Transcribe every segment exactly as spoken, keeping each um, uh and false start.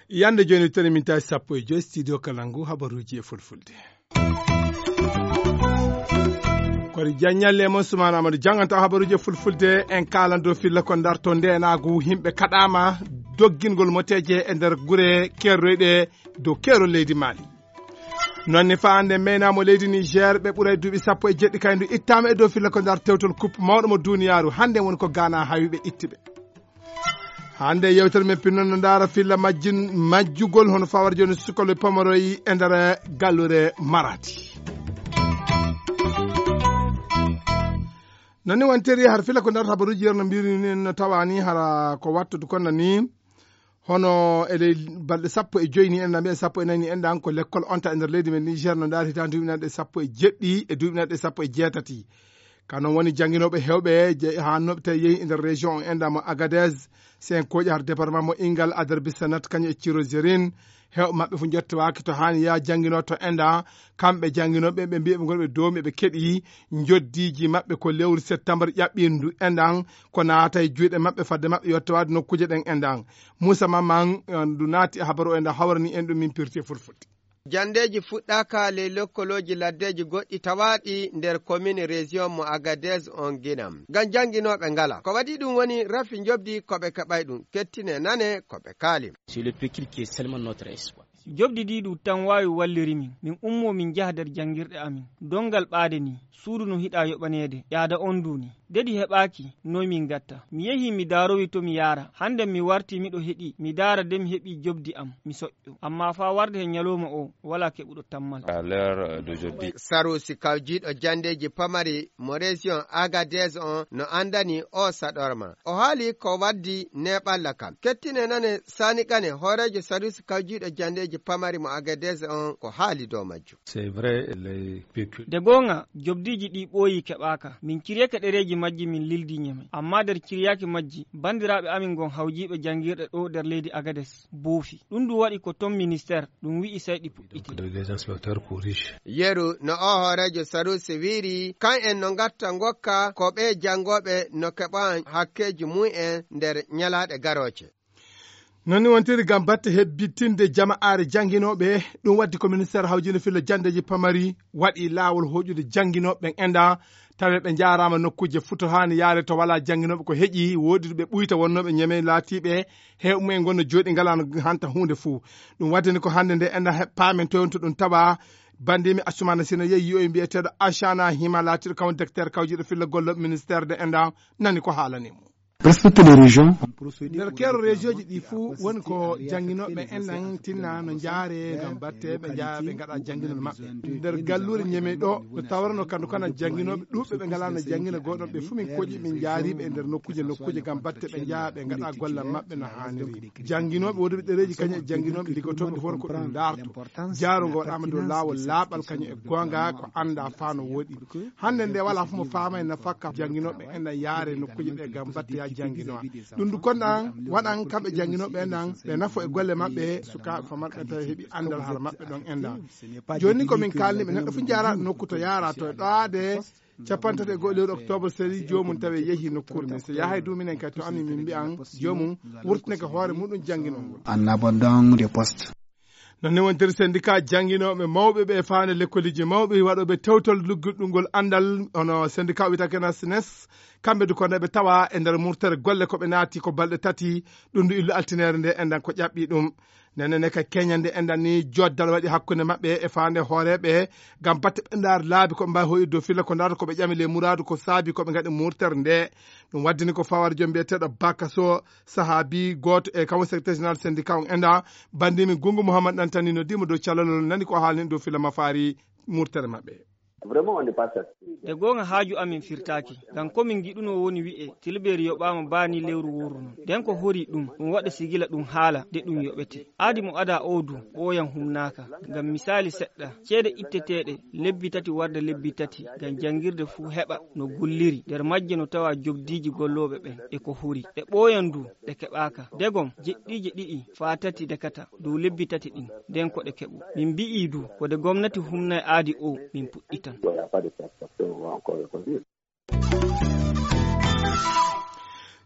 Yande jooni toni min tawi sappo e joyi studio Kalangu habaruuji e fulfulde. Kori Diagne Lemo Soumana Amadou jannganta habaruuji e fulfulde. En kaalan dow filla ko ndarto ndeenaagu, yimɓe kaɗaama doggingol moteeje e nder gure kerroyɗe dow keerol leydi Mali. Noon ne faa hannde meynaamo leydi Niger, ɓe ɓura e duuɓi sappo e jeɗɗi kayndu ittaama e dow filla ko ndar tewtol coupe mawɗo mo duniyaaru. Hannde woni ko Ghana hawi ɓe itti ɓe. Hannde yewtere men pinnoon no ndaara filla majjin majjugol hono fawar jooni sukaloy pomoroy e nder gallure Maradi. Noon ni wontiri har filla ko ndarata habaruuji yerno mbiri ni no tawani hara ko wattude kono ni hono e ley balɗe sappo e joyi ni en mbiyen sappo e nayi ni en ɗan ko lekkol onta e nder leydi men Niger no ndaari hitaande duuɓi nanɗe sappo e jeɗɗi e duuɓi nanɗe sappo e jeetati. Ka noon woni jannginooɓe heewɓe je- haa noɓe tawi yehi e nder région on enɗa mo Agadez, sen kooƴi har département mo Ingal, Adar Bisanat kañum e Ciro Zerin. Heewɓe maɓɓe fof njottowaaki to haani yaa jannginoo to enɗa. Kamɓe jannginooɓe ɓe mbiyaɓe ngonɓe dow ɓe keɗi njoddiiji maɓɓe ko lewru septembre ƴaɓɓindu enɗan ko naata e juuɗe maɓɓe fadde maɓɓe yottowaade nokkuuje ɗen enɗan. Moussa Maman ndu naati e habaru o enɗa hawrani en ɗum min pirti e fulfulde. Janndeeji fuɗɗaaka ley lokkolooji laddeeji goɗɗi tawaaɗi nder commune région mo Agadez on Guinam. Ngam jannginooɓe ngala. Ko waɗi ɗum woni rafi njoɓdi ko ɓe keɓay ɗum. Kettine nane ko ɓe kaali. C'est le pécule qui est seulement notre espoir. Joɓdi ndi ɗum tan waawi walliri min. Min ummoo min njaha nder janngirɗe amin. Donngal ɓaade nii, suudu no hiɗaa yoɓaneede, ƴaada on nduu nii. Dedi heɓaaki, noy min ngatta? Mi yehii mi daarowi to mi yaara. Hannde mi wartii miɗo heɗii, mi daara de mi heɓii joɓdi am, mi soƴƴo. Ammaa faa warde he ñalooma oo, walaa keɓuɗo tammal. À l'heure d'aujourd'hui. Sarusi kawjiiɗo janndeeji pamari mo région Agadez on no anndani oo saɗorma. O haali ko waddi neeɓalla kan. Kettine nane Sani Kane, hooreejo sarusi kawjiiɗo janndeeji pamari mo Agadez on ko haali dow majjum. C'est vrai, les pécul- De goonga, joɓdiiji ɗi ɓooyi keɓaaka. Min ciryake ɗereeji majji min lildi ñeme. Ammaa nder ciryaaki majji, banndiraaɓe amin ngon hawjiiɓe janngirɗe ɗo nder leydi Agades, boofi. Ɗum ndu waɗi ko ton ministère, ɗum wi'i sey ɗi puɗɗiti. Donc, des inspecteurs pour riches. Yeru no o hooreejo Sarusi wiiri, kan en no ngatta ngokka ko ɓe janngooɓe no keɓa hakkeeji mum en nder ñalaaɗe garooje. Noon ni wontiri ngam batte hebbitinde jama'aare jannginooɓe, ɗum waddi ko ministeer hawjinde filla janndeeji pamari waɗi laawol hoƴude jannginooɓe ɓen enɗa, tawi ɓe njaaraama nokkuuje futo haani yaare to walaa jannginooɓe ko heƴi, woodi ɓe ɓuyta wonnooɓe ñeme laatiiɓe, heewɓe mumen ngonno jooɗi ngalaano hanta huunde fuu. Ɗum waddani ko hannde nde enɗa he-, paamen toon to ɗum tawa, banndimi Assumaana Sino yehi yi'oy mbiyeteeɗo Acana Hima laatiiɗo kam directeur kawjiiɗo filla gollooɓe ministeer de enɗa nani ko haalani mo. Presque toutes les régions. Nder keero région ji ɗi fuu woni ko jannginooɓe en nan tinna no njaare ngam batte ɓe njaha ɓe ngaɗa jannginol maɓɓe. Nder galluure ñeme ɗo no tawarno kandu kana jannginooɓe ɗuuɓɓe ɓe ngalaa no janngina gooɗon ɓe fuu min koƴi min njaariiɓe e nder nokkuuje nokkuuje ngam batte ɓe njaha ɓe ngaɗa gollal maɓɓe no haaniri. Jannginooɓe woduɓe ɗereeji kañum e jannginooɓe liggotooɓe hono ko ɗum ndaarto. Jaaro ngo waɗaama dow laawol laaɓal kañum e goonga ko annda faa no woɗi. Hannde nde walaa fof mo faama e nafakka jannginooɓe en na yaare nokkuuje ɓe ngam batte ya jannginoa. Ɗum du kon ɗan waɗan kamɓe jannginooɓe en ɗan ɓe nafo e golle maɓɓe sukaaɓe famarɓe tawi heɓi anndal hara maɓɓe ɗon en ɗan. Jooni ko min kaalni ɓe neɗɗo fof jaaraɗo nokku to yaara to e ɗowaade capantato e go'o lewru octobre seri joomum tawi yehi nokkuure nde so yahay du minen kadi to amin min mbiyan joomum wurtinake hoore muɗum jannginol ngol. En abandon de poste. Noon ne wontiri syndicat jannginooɓe mawɓe ɓe faande lekkoliji mawɓe waɗooɓe tewtol luggiɗɗungol anndal hono syndicat wiyata kena snes. Kamɓe du ko nde ɓe tawa e nder murtere golle ko ɓe naati ko balɗe tati ɗum du illu altineere nde enɗan ko ƴaɓɓi ɗum. Nene ne ka keñande enɗan ni joddal waɗi hakkunde maɓɓe e faande hooreeɓe ngam batte ɓe ndaar laabi ko ɓe mbawi hoyude dow filla ko ndaarta ko ɓe ƴami le muraadu ko saabi ko ɓe ngaɗi murtere nde. Ɗum waddini ko fawar joom mbiyeteeɗo Bakaso sahaabi gooto e kamo secrétaire général syndicat on enɗa bandimi Gungu Mouhammad Ɗantani no dimo dow calalol nani ko haalni dow filla mafaari murtere maɓɓe. Vraiment, on n'est pas satisfait. De goonga, haaju amin firtaaki, ngam ko min ngiɗunoo woni wi'e Tilbeeri yoɓaama baa ni lewru wooru non. Nden ko hori ɗum, ɗum waɗa sigila ɗum haala de ɗum yoɓete. Aadi mo adaa oo du, ɓooyan humnaaka. Ngam misaali seɗɗa, ceede itteteeɗe lebbi tati warde lebbi tati ngam janngirde fuu heɓa no gulliri, nder majje no tawa jobdiiji gollooɓe ɓen e ko hori. Ɗe ɓooyan du, ɗe keɓaaka. Degom, jeɗɗiije ɗiɗi faa tati dekata dow lebbi tati ɗin, nden ko ɗe keɓu. Min mbi'ii du, ko de gomnati humnay aadi oo, min puɗɗitan.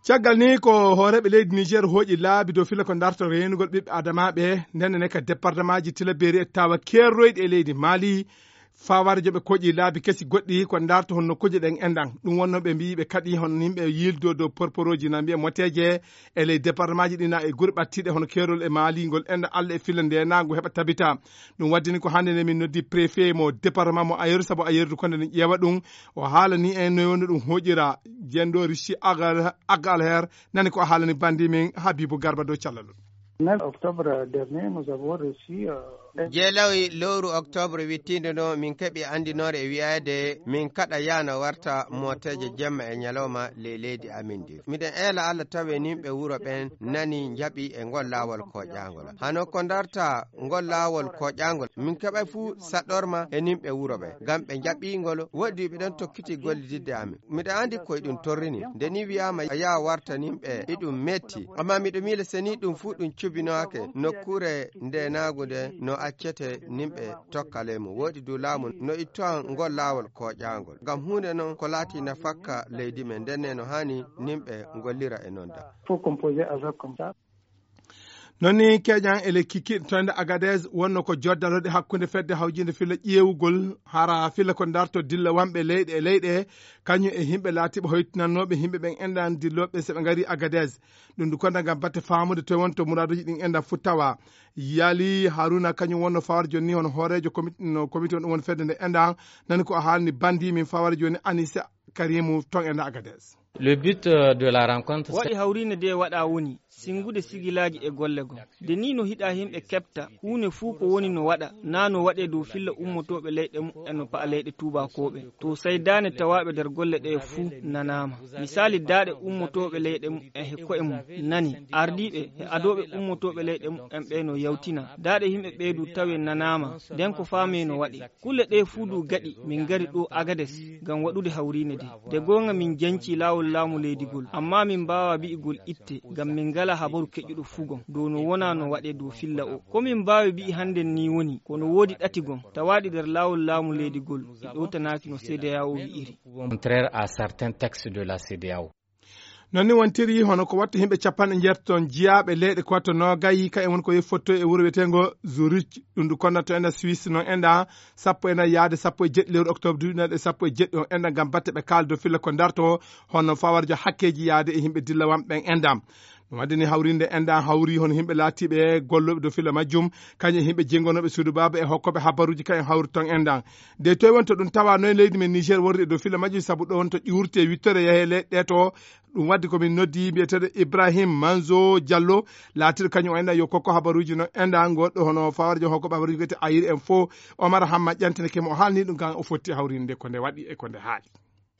Caggal ni, ko hooreeɓe leydi Niger hooƴi laabi dow filla ko darto reenugol ɓiɓɓe adamaaɓe, nden ne ka departemaaji Tilaberi e Tawa keerroyɗi e leydi Mali, faawaare joɓe koƴi laabi kesi goɗɗi ko darto honno kuje ɗen enɗan. Ɗum wonno ɓe mbiyi ɓe kadi honno yimɓe yildo dow porporooji na mbiya moteeje e ley departemaaji ɗi na e gure ɓattiiɗe hono keerol e Mali ngol enɗan Alla e filla nde nangu heɓa tabita. Ɗum waddini ko hannde nde min noddi préfet mo département mo Ayeru, sabu Ayeru ko nde ƴeewa ɗum. O haalani en no wonno ɗum hoƴira. Jendo Rishi Agal, Agal Her, nani ko haalani bandi min Habibu Garba dow callal. Neuf octobre dernier, nous avons reçu, euh, jeelawi lowru octobre wittiinde no min keɓi anndinoore e wi'aade min kaɗa yaana warta mooteeje jemma e ñalawma ley leydi amin ndi. Miɗen eela Alla tawe nimɓe wuro ɓen nani njaɓi e ngol laawol koƴaangol. Hano ko darta ngol laawol koƴaangol, min keɓay fuu saɗɗorma e nimɓe wuro ɓen, ngam ɓe njaɓi ngol, woɗɗi ɓe ɗon tokkiti gollididde amin. Miɗo anndi koye ɗum torrini. Nde ni wi'aama yaa warta nimɓe, iɗum metti. Amma miɗo miila seni ɗum fuu ɗum cubinoake nokkuure ndenaagu nde no accete nimɓe tokka ley mum. Woɗɗi du laamu no ittowa ngol laawol koƴaangol. Ngam huunde non ko laati nafakka leydi men, ndenne no haani nimɓe ngollira e non da. Faut composer avec comme ça. Non ni keƴan e lekki kiɗɗo to ende Agadez wonno ko joddaloɗe hakkunde fedde hawjinde filla ƴeewugol hara filla ko darto dilla wanɓe leyɗe e leyɗe, kañum e yimɓe laatiɓe hoytinannooɓe yimɓe ɓen enɗan dillooɓe so ɓe ngari Agadez. Ɗum du konda ngam batte faamude to wonto muraaduuji ɗin enɗan fuu tawa. Yali Haruna kañum wonno fawar jonni hono hooreejo komit-, no komite on ɗum woni fedde nde enɗan, nani ko o haalni bandi min fawar jonni Anisa Karimu ton enɗan Agadez. Le but, euh, de la rencontre, waɗi hawriinde nde waɗa woni singude sigilaaji e golle goo. Nde nii no hiɗa yimɓe keɓta huunde fuu ko woni no waɗa, naa no waɗee dow filla ummotooɓe leyɗe muɓɓen no pa'a leyɗe tuubaakooɓe. To seydaane tawaaɓe nder golle ɗee fuu nanaama. Misaali daaɗe ummotooɓe leyɗe muɓɓen he ko'e mum nani. Ardiiɓe he adooɓe ummotooɓe leyɗe muɓɓen ɓee no yawtina. Daaɗe yimɓe ɓee du tawe nanaama. Nden ko faamee no waɗi. Kulle ɗee fuu du gaɗi, min ngari ɗoo Agades ngam waɗude hawriine ndee. Nde goonga min jancii laawol laamu leydi ngol, ammaa min mbaawaa bi'igol itte, ngam min ngalaa habaru keƴuɗo fuu gom dow no wonaa no waɗee dow filla oo. Ko min mbaawi bi'i hannden nii woni, ko no woodi ɗati gom tawaaɗi nder laawol laamu leydi ngol, ɗi ɗowtanaaki no C D A O wi'iri. Contraire à certains textes de la C D A O. Non ni wontiri hono ko wattu yimɓe capanɗe njeetato jiyaaɓe leyɗe ko wattu noogayi, ka e won ko yeffoto e wuro wiyeteengo Zurich, ɗum ndu konnato enɗa Suisse non enɗa sappo enɗa yaade sappo e jeɗɗi lewru octobre duuɓi nayi e sappo e jeɗɗi on enɗa ngam batte ɓe kaaldo filla ko darto hono fawarjo hakkeeji yaade e yimɓe dillawanɓe ɓen enɗa. Ɗum waɗi ni hawrinde enɗa hawri hono yimɓe laatiiɓe gollooɓe dow filla majjum, kañum e yimɓe jenngonooɓe suudu baaba e hokkooɓe habaruuji kañum hawri ton enɗa. De toy wonto ɗum tawa noy leydi men Niger worri e dow filla majjum, sabu ɗo wonto ƴuurte wittore yahe leyɗe to. Ɗum waddi ko min noddi mbiyeteeɗo Ibrahim Manzo Diallo, laatiiɗo kañum o enɗa yo kokko habaruuji no enɗa goɗɗo hono fawarjo hokkooɓe habaruuji wiyete Ayir en fo. Omar Hamma ƴantinake mo, o haalni ɗum kan o fotti hawrinde ko nde waɗi e ko nde haali.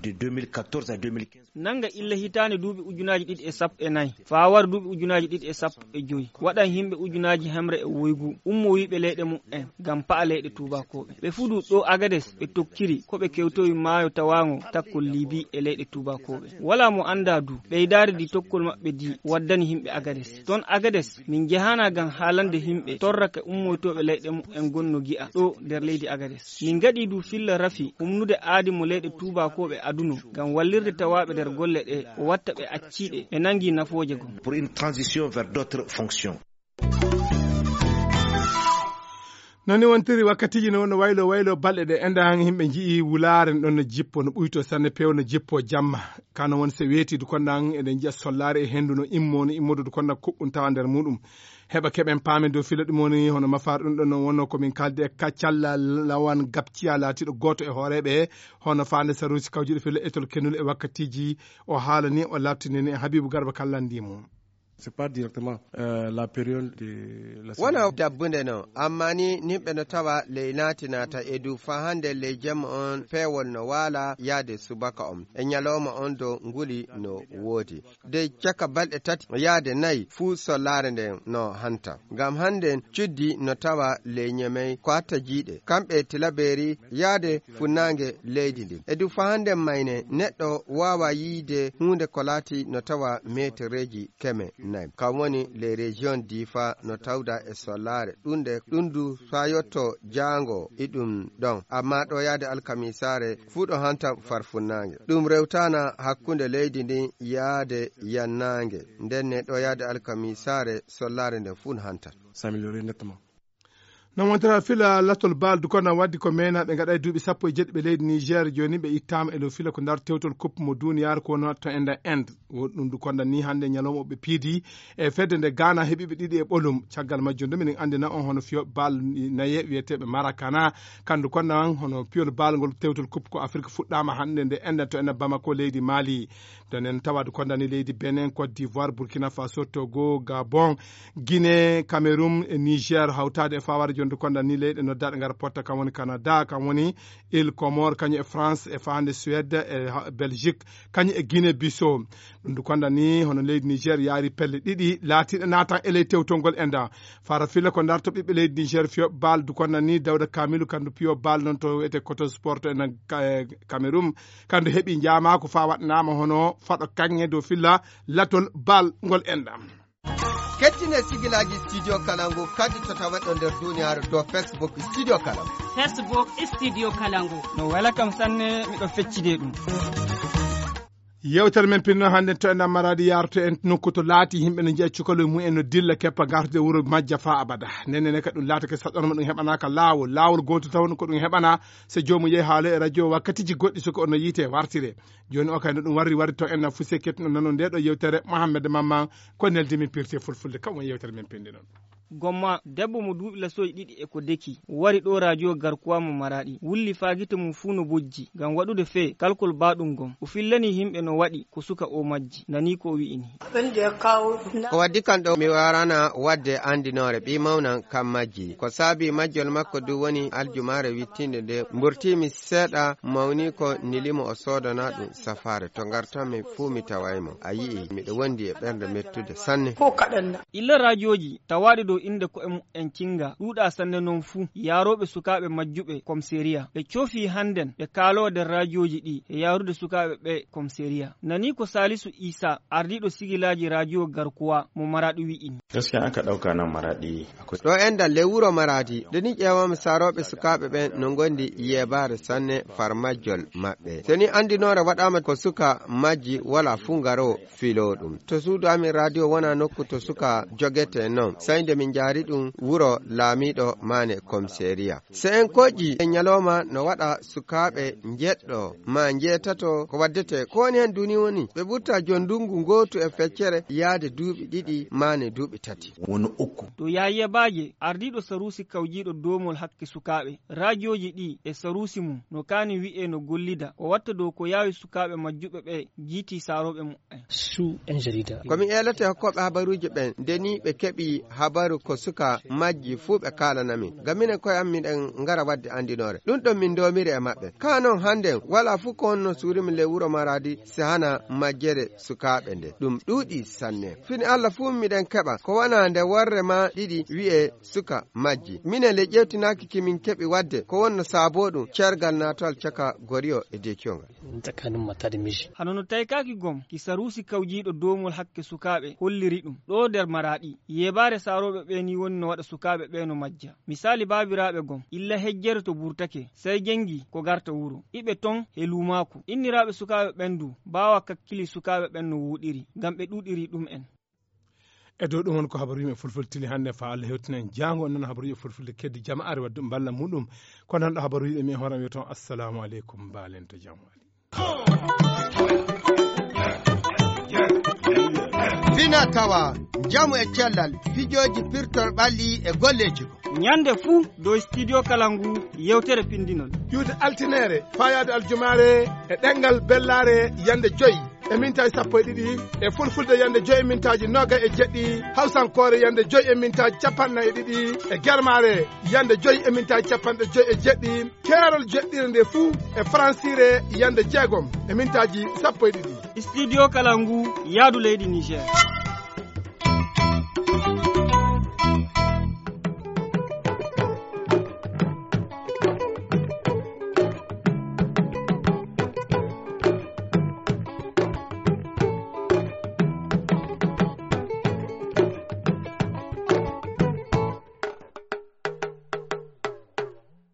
De deux mille quatorze à deux mille quinze. Nanga illa hitaande duuɓi ujunaaji ɗiɗi e sappo e nayi faa wara duuɓi ujunaaji ɗiɗi e sappo e joy, waɗan yimɓe ujunaaji hemre e woygu ummowiiɓe leyɗe muɓɓen ngam pa'a leyɗe tuubaakooɓe. Ɓe fuu du ɗo Agades ɓe tokkiri ko ɓe kewtowi maayo tawaango takkol Libi e leyɗe tuubaakooɓe. Walaa mo anndaa du ɓeydaari ndi tokkol maɓɓe ndi waddani yimɓe Agades. Ton Agades min njahaanaa ngam haalande yimɓe torrake ummoytooɓe leyɗe muɓɓen gonno gi'a ɗo nder leydi Agades. Min ngaɗii du filla rafi humnude aadi mo leyɗe tuubaakooɓe aduno ngam wallirde tawaaɓe nder golle ɗe o watta ɓe acciiɗe ɓe nangii nafooje gom. Pour une transition vers d'autres fonctions. Non ni wontiri wakkatiiji no wonno waylo waylo balɗe ɗe enɗan yimɓe nji'i wulaare ɗon no jippo no ɓuyto sanne peew no jippo jamma. Kano woni so weeti du konɗan eɗen nji'a sollaare e henndu no immo no immodu du konɗan kuɓɓum tawa nder muɗum. Heɓa keɓen paamen dow filo ɗum woni hono mafaar ɗum ɗon no wonno ko min kaldi e kaccalla lawan gabciya laatiiɗo gooto e hooreeɓe hono faande saruusi kawjuɗo filo etol kenul e wakkatiiji o haalani o labtinani e Habibu Garba kallandi mum. C'est pas directement, euh, la période de la wona dabbunde noon, amma ni nimɓe no tawa ley naati naata e du faa hannde ley jemma on peewol no waala yaade subaka on e ñalooma on do nguli no woodi de caka balɗe tati yaade nayi fuu sollaare nden no hanta. Ngam hannden cuddi no tawa ley ñemey ko hatta jiiɗe kamɓe tilabeeri yaade funnaange leydi ndin. E du faa hannden mayne neɗɗo waawa yiide huunde ko laati no tawa meetereeji keme nayi. Kam woni les régions diifa no tawda e sollaare ɗunde ɗum du faa yotto jaango iɗum ɗon. Amma ɗo yaade alkamisaare fuu ɗo hanta farfunnaange. Ɗum rewtaana hakkunde leydi ndin yaade yannaange. Nden ne ɗo yaade alkamisaare sollaare nden fuu no hanta. S'améliorer nettement. No wontira fila latol bal du konda waddi ko meenaaɓe ngaɗa e duuɓi sappo e jeɗɗi ɓe leydi Niger jooni ɓe ittaama e dow fila ko ndar tewtol coupe mo duniyaaru ko wonno to enda Inde. Won ɗum du konda ni hannde ñalawma o ɓe piidi e fedde nde Ghana heɓiiɓe ɗiɗi e ɓolum. Caggal majjum du minen anndina on hono fiyo bal naye wiyeteeɓe Marakana. Kandu konda an hono piyol bal ngol tewtol coupe ko Afrique fuɗɗaama hannde nde enda to enda Bamako leydi Mali. Donen tawadu konda ni leydi Benin, Côte d'Ivoire, Burkina Faso, Togo, Gabon, Guinée, Cameroun, e Niger, hawtaade e fawaade jonde konda ni leyɗe noddaɗe ngara potta kam woni Canada, kam woni Île Comores, kañum e France, e faande Suède, e ha-, Belgique, kañum e Guinée Bissau. Ɗum du konda ni hono leydi Niger yaari pelle ɗiɗi laatiiɗe naatan e ley tewtol ngol enda. Fara filla ko darto ɓiɓɓe leydi Niger fiyo bal du konda ni Dawda Kamilu kandu piyo bal non to wiyete Koto Sport en Ka-, Cameroun. Kandu heɓi njaamaako faa waɗnaama hono faɗo kaŋŋe dow filla latol bal ngol enɗam. Kettine sigilaaji Studio Kalangu kadi to taweɗo nder duniyaaru dow Facebook Studio Kalangu. Facebook Studio Kalangu. No wela kam sanne, miɗo feccide ɗum. Yewtere men pinno hannde to en Maradi yarto en nokku to laati yimɓe no njiya cukalel mum en no dilla keppa gartude wuro majja faa abada. Nenne ne ka ɗum laatake saɗɗorma ɗum heɓanaaka laawol. Laawol gootol taw ko ɗum heɓana so joomum yehi haalo e radio wakkatiji goɗɗi so ko ono yiite wartire. Jooni o kay no ɗum warri warri to en na fuse kettuno nano nde ɗo yewtere Mohammed Mamman ko neldi min pirte fulfulde kam woni yewtere men pindi noon. Gomma, debbo mo duuɓi lasoyi ɗiɗi e ko deki, wari ɗo radio Garkuwa mo Maraɗi, wulli faa gite mum fuu no bojji, ngam waɗude fee kalkol baaɗum gom. O fillanii himɓe no waɗi ko suka o majji, nanii ko o wi'ini. Ko waddi kan ɗo mi warana wadde andinoore ɓii mawnan kan majji. Ko saabi majjol makko du woni aljumaare wittinde nde mburtiimi seeɗa mawni ko nilimo o soodana ɗum safaare. To ngartanmi fuu mi taway mo. A yi'i, miɗo wondi e ɓernde mettude sanne. Illa raajooji tawaaɗi dow innde ko'e mu'en cinnga ɗuuɗaa sanne noon fuu, yaarooɓe sukaaɓe majjuɓe komiseeriya. Ɓe coofii hannden ɓe kaaloo nder raajooji ɗii e yaarude sukaaɓe ɓee komiseeriya. Nanii ko Saalisu Iisaa, ardiiɗo sigilaaji raajoo Garkuwa mo Maraɗi wi'ini. Gaskiya aka ɗauka nan Maraɗi akwai. Ɗo enɗan ley wuro Maraadi, nde ni ƴeewaama saarooɓe sukaaɓe ɓen no ngondi yeebaare sanne far majjol maɓɓe. So ni anndinoore waɗaama ko suka majji wala fuu ngaroo filoo ɗum. To suudu amin radio wona nokku to suka jogete non. Sey nde min njaari ɗum wuro laamiiɗo maane komiseeriya. So en koƴƴi e ñalooma no waɗa sukaaɓe njeɗɗo maa njeetato ko waddete. Ko woni heen duni woni ɓe ɓurta jon ndungu ngootu e feccere yaade duuɓi ɗiɗi maane duuɓi tati. Woni uku. To Yahya Baaje, ardiiɗo saruusi kawjiiɗo doomol hakke sukaaɓe, raajooji ɗii e saruusi mum no kaani wi'ee no gollida, o watta dow ko yaawi sukaaɓe majjuɓe ɓe jiitii saarooɓe mu'en. Su en jarida. Ko mi eelata e hokkooɓe habaruuji ɓen, nde ni ɓe keɓi habaru ko suka majji fuu ɓe kaalana min. Ngam minen koye am miɗen ngara waɗde anndinoore. Ɗum ɗon min ndoomiri e maɓɓe. Kaa non hannden, walaa fuu ko honno suurimi ley wuro Maraadi si hana majjere sukaaɓe nde. Ɗum ɗuuɗi sanne. Fini Alla fuu miɗen keɓa ko wona nde worre maa ɗiɗi wi'ee suka majji. Minen le ƴeewtinaaki ki min keɓi waɗde ko wonno saaboo ɗum ceergal naatowal caka Goriyo e Dekiyo ngal. Tsakanin mata da miji. Hano no taykaaki gom ki saruusi kawjiiɗo doomol hakke sukaaɓe holliri ɗum ɗoo nder Maraɗi. Yeebaare saarooɓe ɓee ni woni no waɗa sukaaɓe ɓee no majja. Misaali baabiraaɓe gom illa hejjere to burtake, sey jenngi ko garta wuro. Iɓe ton he luumaaku. Inniraaɓe sukaaɓe ɓen du baawa kakkili sukaaɓe ɓen no wuuɗiri, ngam ɓe ɗuuɗiri ɗum'en. E dow ɗum woni ko habaru yimɓe fulfulde tini hannde faa Allah hewtinen jaango on nana habaru yimɓe fulfulde keddi jama'aare wadde mballa muɗum. Ko nan ɗo habaru yimɓe mi e hoore am wi'oton assalamu aleykum, mbaalen to jam wali. Fina tawa, njamu e cellal, fijooji pirtol ɓalli e golleeji ko. Ñande fuu dow Studio Kalangu yewtere pindinol. Ƴuwde altineere, faayaade aljumaare e ɗemngal bellaare yande joyi. e mintaaji sappo e ɗiɗi, e fulfulde yande joyi e mintaaji noga e jeɗɗi, hawsankoore yande joyi e mintaaji capanɗe nayi e ɗiɗi, e germaare yande joyi e mintaaji capanɗe joyi e jeɗɗi, keerol jeɗɗire nde fuu e faransiire yande jeegom e mintaaji sappo e ɗiɗi. Studio Kalangu, yaadu leydi Niger.